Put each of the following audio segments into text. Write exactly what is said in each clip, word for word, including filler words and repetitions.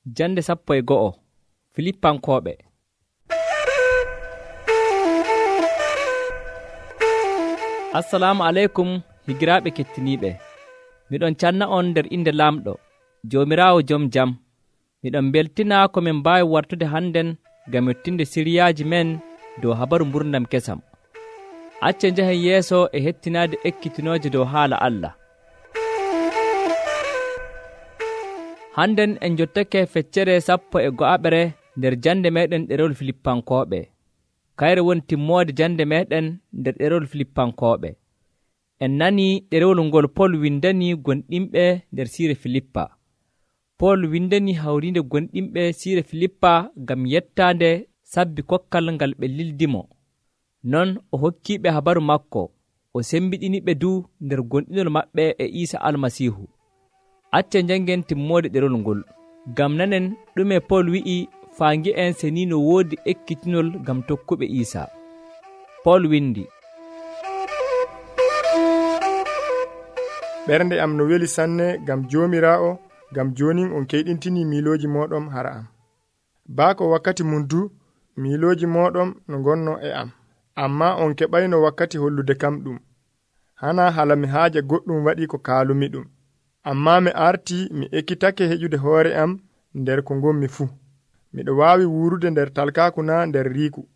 Jande sappo e go'o Filippankooɓe. Assalamu aleykum higiraaɓe kettiniiɓe. Miɗon canna on nder inde Laamɗo, Joomiraawo jom jam. Miɗon beltina ko min mbaawi wartude hannden ngam mettinde siriyaaji men dow habaru mburdam kesam. Acce njahen yeeso e hettinaade ekkitinooje dow haala Allah. Hannden en jottake feccere sappo e go'aɓere nder jande meɗen ɗerewol Filippankooɓe. Kayre woni timmoode jande meɗen nder ɗerewol Filippankooɓe. En nanii ɗerewol ngol Pol windani gonɗinɓe nder siire Filippa. Pol windani hawriinde gonɗinɓe siire Filippa ngam yettaande sabbi kokkal ngal ɓe lildimo. Non o hokkiiɓe habaru makko, o sembiɗiniɓe du nder gonɗinol maɓɓe e Iisa Almasiihu. Acce njangen timmoode ɗerewol ngol, ngam nanen ɗume Pol wi'i faa ngi'en se ni no woodi ekkitinol ngam tokkuɓe Iisa. Pol windi: ɓernde am no weli sanne ngam Joomiraawo, ngam jonin on keyɗintini miilooji mooɗon hara am. Baako wakkati mum du miilooji mooɗon no ngonno e am, amma on keɓayno wakkati hollude kam ɗum. Hana hala mi haaja goɗɗum waɗi ko kaalumi ɗum. Amma mi artii mi ekkitake heƴude hoore am nder ko ngommi fuu. Miɗo waawi wuurude nder talkaaku naa nder riiku.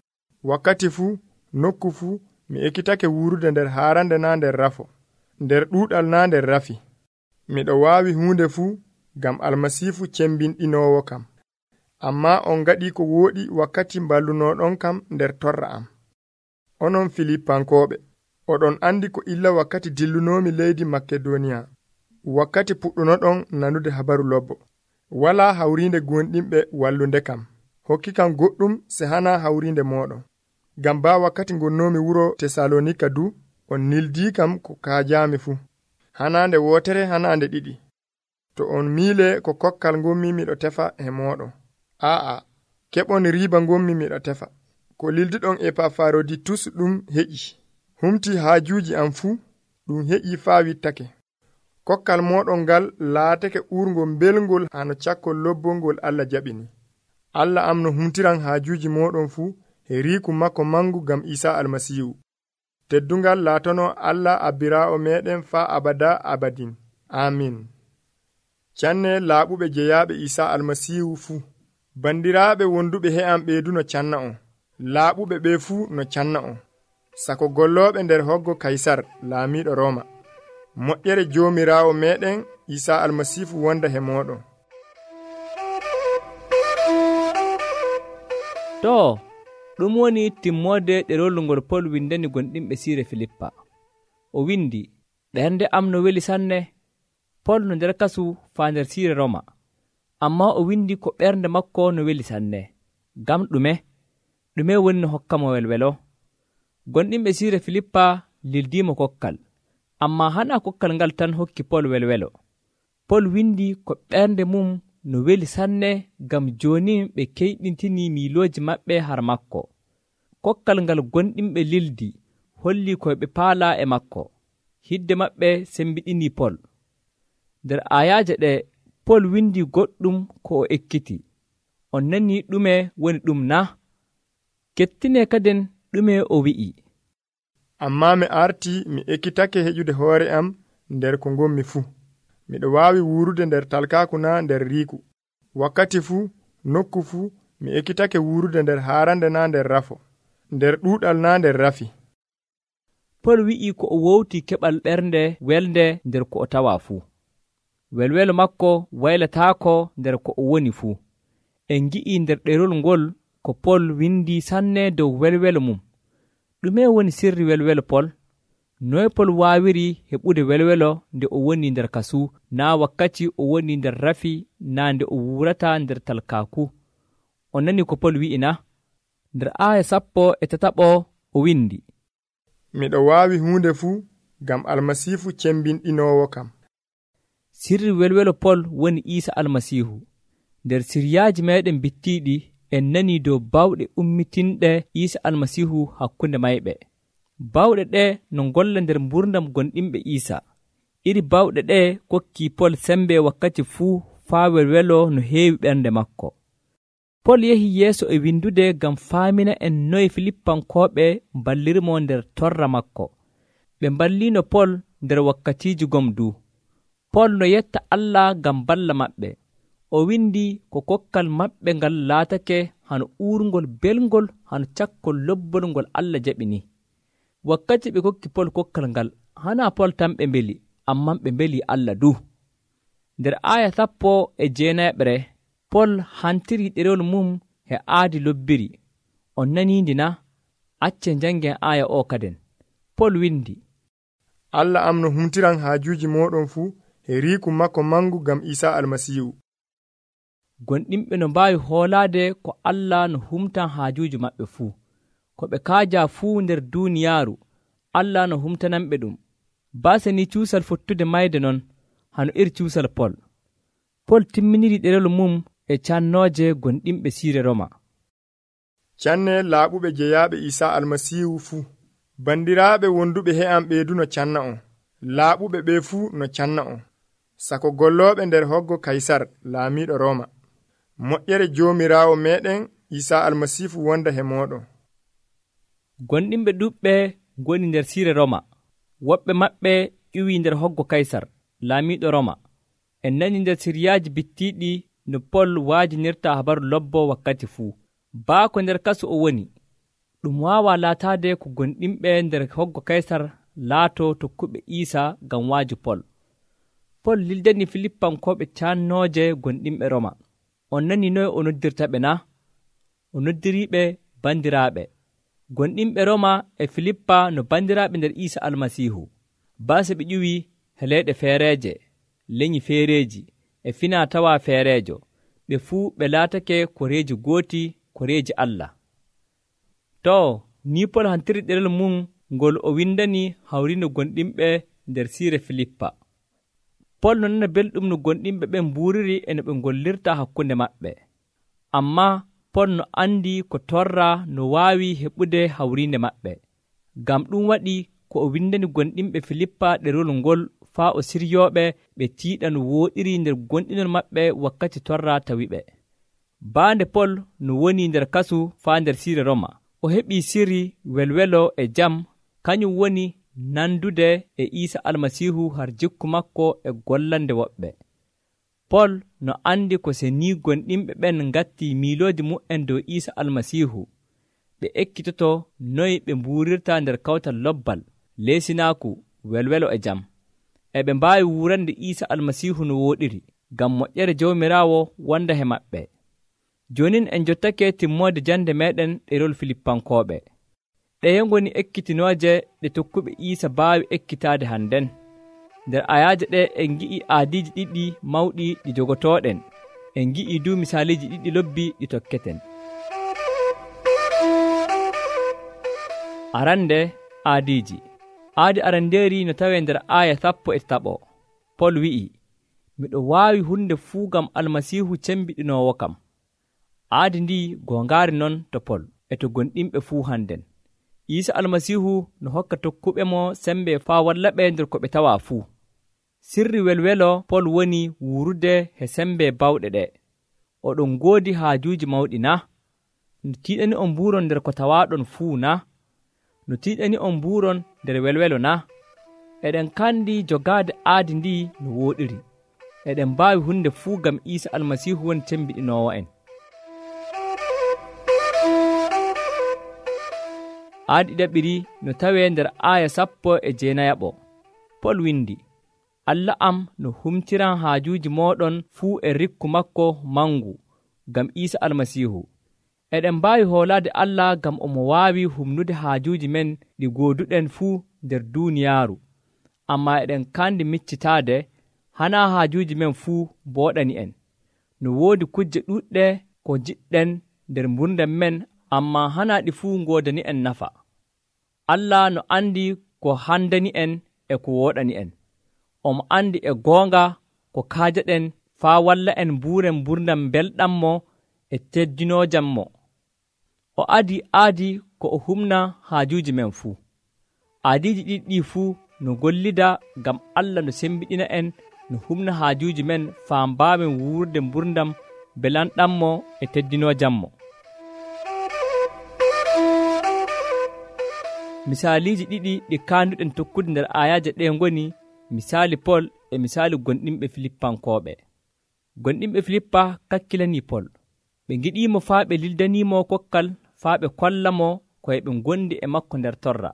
Wakkati fuu, nokku fuu, mi ekkitake wuurude nder haarande naa nder rafo, nder ɗuuɗal naa nder rafi. Miɗo waawi huunde fuu ngam Almasiifu cembinɗinoowo kam. Amma on ngaɗii ko wooɗi wakkati mballunooɗon kam nder torra am. Onon Filippankooɓe, oɗon andi ko illa wakkati dillunoomi leydi Makedoniya. Wakkati puɗɗunoɗon nanude habaru lobbo. Walaa hawriinde gonɗinɓe wallunde kam. Hokki kam goɗɗum se hana hawriinde mooɗon. Ngam baa wakkati ngonnoomi wuro Tesalonika du, on nildii kam ko kaajaami fuu. Hanaande wootere hanaande ɗiɗi. To on miile ko kokkal ngommi miɗo tefa e mooɗon. Aa'a, keɓon riiba ngommi miɗo tefa. Ko lilduɗon Epafaroditus ɗum heƴi. Humti haajuuji am fuu, ɗum heƴi faa wittake. Kokkal mooɗon ngal laatake uurngol belngol hano cakkol lobbongol Allah jaɓini. Allah am no humtiran haajuuji mooɗon fuu e riiku makko mangu ngam Iisa Almasiihu. Teddungal laatono Allah abbiraawo meɗen faa abada abadin. Amin. Canne laaɓuɓe jeyaaɓe Iisa Almasiihu fuu. Bandiraaɓe wonduɓe he am ɓeydu no canna on. Laaɓuɓe ɓe fuu no canna on. Sako gollooɓe nder hoggo Kaysar laamiiɗo Rooma. Moƴƴere Joomiraawo meɗen Iisa Almasiihu wonda he mooɗon. To, ɗum woni timmoode ɗerewol ngol Pol windani gonɗinɓe siire Filippa. O windi: ɓernde am no weli sanne. Pol no nder kasu faa nder siire Roma. Amma o windi ko ɓernde makko no weli sanne. Ngam ɗume? Ɗume woni no hokkamo welwelo? Gonɗinɓe siire Filippa lildiimo kokkal. Amma hana kokkal ngal tan hokki Pol welwelo. Pol windi ko ɓernde mum no weli sanne ngam jooni ɓe keyɗintini miilooji maɓɓe har makko. Kokkal ngal gonɗinɓe lildi holli koye ɓe paala e makko. Hidde maɓɓe sembiɗini Pol. Nder ayaaje ɗe Pol windi goɗɗum ko o ekkiti. On nani ɗume woni ɗum na? Kettine kaden ɗume o wi'i. Amma mi artii mi ekkitake heƴude hoore am nder ko ngommi fuu. Miɗo waawi wuurude nder talkaaku naa nder riiku. Wakkati fuu, nokku fuu, mi ekkitake wuurude nder haarande naa nder rafo, nder ɗuuɗal naa nder rafi. Pol wi'i ko o wowti keɓal ɓernde welde nder ko o tawa fuu. Welwelo makko waylataako nder ko o woni fuu. En ngi'i nder ɗerewol ngol ko Pol windi sanne dow welwelo mum. Ɗume woni sirri welwelo Pol? Noy Pol waawiri heɓude welwelo nde o woni nder kasu, naa wakkati o woni nder rafi, naa nde o wurata nder talkaaku? O nani ko Pol wi'ina? Nder aaya sappo e tataɓo o windi: miɗo waawi huunde fuu ngam Almasiihu cembinɗinoowo kam. Sirri welwelo Pol woni Iisa Almasiihu. Nder siryaaji meɗen bittiiɗi en nani dow bawɗe ummitinɗe Iisa Almasiihu hakkunde mayɓe. Bawɗe ɗe no ngolla nder mburdam gonɗinɓe Iisa. Iri bawɗe ɗe kokki Pol sembe wakkati fuu faa welwelo no heewi ɓernde makko. Pol yehi yeeso e windude ngam faamina en noye Filippankooɓe mballirimo nder torra makko. Ɓe mballino Pol nder wakkatiiji gomdu. Pol no yetta Allah ngam balla maɓɓe. O windi ko kokkal maɓɓe ngal laatake hano uurngol belngol hano cakkol lobbol ngol Allah jaɓini. Wakkati ɓe kokki Pol kokkal ngal, hana Pol tan ɓe mbeli, amman ɓe mbeli Allah du. Nder aya sappo e jeenayeɓre, Pol hantiri ɗerewol mum he aadi lobbiri. On naniindi na? Acce jangen aya o kaden. Pol windi, Allah am no humtiran haajuuji mooɗon fuu he riiku makko mangu ngam Iisaa Almasiihu. Gonɗinɓe no mbaawi hoolaade ko Allah no humtan haajuuji maɓɓe fuu. Ko ɓe kaaja fuu nder duuniyaaru, Allah no humtananɓe ɗum. Baase ni cuusal fottude mayde non, hano iri cuusal Pol. Pol timminiri ɗerewol mum e cannooje gonɗinɓe siire Roma. Canne laaɓuɓe jeyaaɓe Iisaa Almasiihu fuu. Bandiraaɓe wonduɓe he am ɓeydu no canna on. Laaɓuɓe ɓe fuu no canna on. Sako gollooɓe nder hoggo Kaysar laamiiɗo Roma. Moƴƴere Joomiraawo meeɗen Iisaa Almasiihu wonda he mooɗon. Gonɗinɓe ɗuɓɓe ngoni nder siire Roma. Woɓɓe maɓɓe ƴuwii nder hoggo Kaysar laamiiɗo Roma. En nani nder siriyaaji bittiiɗi no Pol waajinirta habaru lobbo wakkati fuu. Baako nder kasu o woni. Ɗum waawaa laataade ko gonɗinɓe nder hoggo Kaysar laato tokkuɓe Iisaa ngam waaju Pol. Pol lildani Filippankooɓe cannooje gonɗinɓe Roma. On nani noye o noddirta ɓe na? O noddiriiɓe bandiraaɓe. Gonɗinɓe Roma e Filippa no bandiraaɓe nder Iisaa Almasiihu. Baase ɓe ƴuwii he leyɗe feereeje, leñi feereeji e finaa tawaa feereejo. Ɓe fuu ɓe laatake koreeji gooti, koreeji Allah. To, ni Pol hantiri ɗerel mum ngol o windani hawrino gonɗinɓe nder siire Filippa. Pol no nana belɗum no gonɗinɓe ɓen mbuuriri e no ɓe ngollirta hakkunde maɓɓe. Ammaa Pol no andi ko torra no waawi heɓude hawrinde maɓɓe. Ngam ɗum waɗi ko o windani gonɗinɓe Filippa ɗerewol ngol faa o siryooɓe ɓe tiiɗa no wooɗiri nder gonɗinol maɓɓe wakkati torra tawiɓe. Baande Pol no woni nder kasu faa nder siire Roma. O heɓii sirri welwelo e jam, kañum woni nandude e Iisaa Almasiihu har jikku makko e gollande woɓɓe. Pol no andi ko se ni gonɗinɓe ɓen ngatti miilooji mu'en dow Iisaa Almasiihu, ɓe ekkitoto noy ɓe mbuurirta nder kawtal lobbal, leesinaaku, welwelo e jam. E ɓe mbaawi wurande Iisaa Almasiihu no wooɗiri, ngam moƴƴere Jawmiraawo wonda he maɓɓe. Jonin en jottake timmoode jande meɗen ɗerol Filippankooɓe. Ɗeye ngoni ekkitinooje ɗe tokkuɓe Iisa baawi ekkitaade hannden. Nder ayaaje ɗe en ngi'i aadiiji ɗiɗi mawɗi ɗi jogotooɗen. En ngi'i du misaaliiji ɗiɗi lobbi ɗi tokketen. Arande aadiiji. Aadi arandeeri no tawee nder aaya sappo e taɓo. Pol wi'i, miɗo waawi hunde fuu ngam Almasiihu cembiɗinoowo kam. Aadi ndi gongaari non to Pol e to gonɗinɓe fuu hannden. Iisa Almasiihu no hokka tokkuɓe mo sembe faa walla ɓe nder ko ɓe tawaa fuu. Sirri welwelo Pol woni wurude he sembe bawɗe ɗe. Oɗon ngoodi haajuuji mawɗi na? No tiiɗani on mbuuron nder ko tawaaɗon fuu na? No tiiɗani on mbuuron nder welwelo na? Eɗen kandi jogaade aadi ndi no wooɗiri. Eɗen mbaawi hunde fuu ngam Iisa Almasiihu woni cembiɗinoowo en. Aadi ɗaɓiri no tawee nder aaya sappo e jeenayaɓo. Pol windi, Allah am no humtiran haajuuji mooɗon fuu e rikku makko mangu ngam Iisa Almasiihu. Eɗen mbaawi hoolaade Allah ngam omo waawi humnude haajuuji men ɗi gooduɗen fuu nder duuniyaaru. Ammaa eɗen kandi miccitaade hanaa haajuuji men fuu booɗani en. No woodi kujje ɗuuɗɗe ko jiɗɗen nder mburdam men, ammaa hanaa ɗi fuu ngoodani en nafa. Allah no andi ko handani en e ko wooɗani en. Omo andi e goonga ko kaajaɗen faa walla en mbuuren mburdam belɗammo e teddinoojammo. O adi aadi ko o humna haajuuji men fuu. Aadiiji ɗiɗi fuu no gollida ngam Allah no sembiɗina en no humna haajuuji men faa mbaawen wuurde mburdam belanɗammo e teddinoojammo. Misaaliiji ɗiɗi ɗi kaanduɗen tokkude nder ayaaje ɗe ngoni misaali Pol e misaali gonɗinɓe Filippankooɓe. Gonɗinɓe Filippa kakkilanii Pol. Ɓe ngiɗiimo faa ɓe lildaniimo kokkal faa ɓe kollamo koye ɓe ngondi e makko nder torra.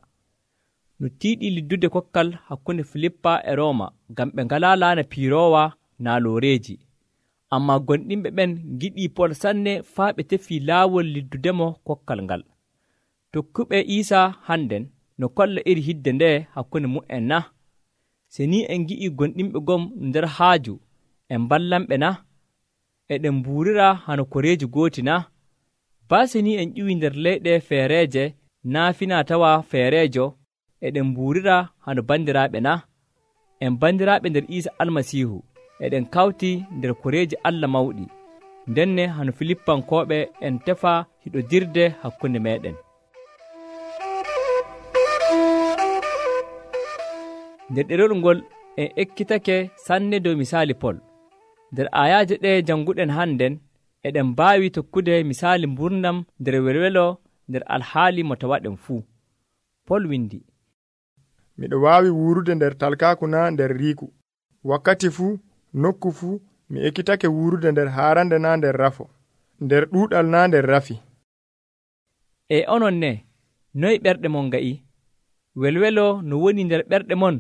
No tiiɗii liddude kokkal hakkunde Filippa e Rooma ngam ɓe ngalaa laana piiroowa naa looreeji. Ammaa gonɗinɓe ɓen ngiɗii Pol sanne faa ɓe tefii laawol liddudemo kokkal ngal. Tokkuɓe Iisaa hannden no kolla iri hidde nde hakkunde mu'en na? Se ni en ngi'ii gonɗinɓe gom nder haaju en ballanɓe na? Eɗen mbuurira hano koreeji gooti na? Baa se ni en ƴiwii nder leyɗe feereeje naa finaa tawa feereejo eɗen mbuurira hano bandiraaɓe na? En bandiraaɓe nder Iisa Almasiihu eɗen kawti nder koreeji Allah mawɗi. Ndenne hano Filippankooɓe en tefa hiɗodirde hakkunde meeɗen. Nder ɗerol ngol en ekkitake sanne dow misaali Pol. Nder ayaaje ɗe jannguɗen hannden eɗen mbaawi tokkude misaali mburnam nder welwelo nder alhaali mo tawaɗen fuu. Pol windi, miɗo waawi wuurude nder talkaaku naa nder riiku. Wakkati fuu, nokku fuu, mi ekkitake wuurude nder haarande naa nder rafo, nder ɗuuɗal naa nder rafi. E onon ne, noy ɓerɗe mon nga'i? Welwelo no woni nder ɓerɗe mon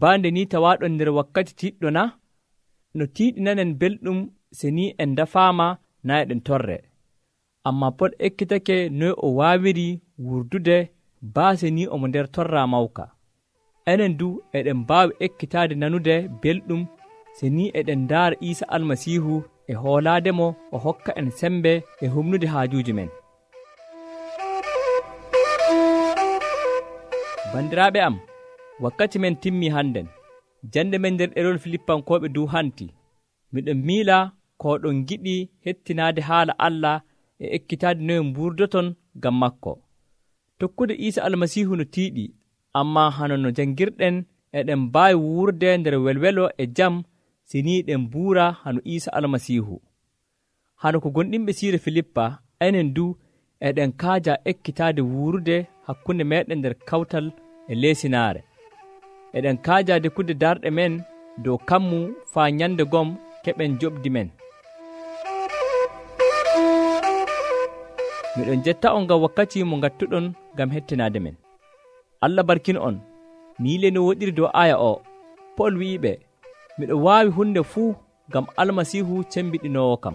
baande ni tawaaɗon nder wakkati tiiɗɗo na? No tiiɗinanen belɗum se ni en dafaama naa eɗen torre. Ammaa Pol ekkitake noy o waawiri wurdude baase ni omo nder torra mawka. Enen du eɗen mbaawi ekkitaade nanude belɗum se ni eɗen ndaara Iisa Almasiihu e hoolaademo o hokka en sembe e humnude haajuuji men. Bandiraaɓe am, wakkati men timmii hannden. Jande men nder ɗerol Filippankooɓe du hanti. Miɗon miila ko ɗon giɗi hettinaade haala Allah e ekkitaade noye mburdoton ngam makko. Tokkude Iisa Almasiihu no tiiɗi, ammaa hano no janngirɗen eɗen mbaawi wuurde nder welwelo e jam si ni ɗen mbuura hano Iisa Almasiihu. Hano ko gonɗinɓe siire Filippa, enen du eɗen kaaja ekkitaade wuurude hakkunde meeɗen nder kawtal e leesinaare. Eɗen kaaja dekkude darɗe men dow kammu faa nyande gom keɓen joɓdi men. Miɗon jetta on ngam wakkati mo ngattuɗon ngam hettinaade men. Allah barkin on. Miile no woɗiri dow aya o. Pol wi'iɓe, miɗo waawi hunde fuu ngam Almasiihu cembiɗinoowo kam.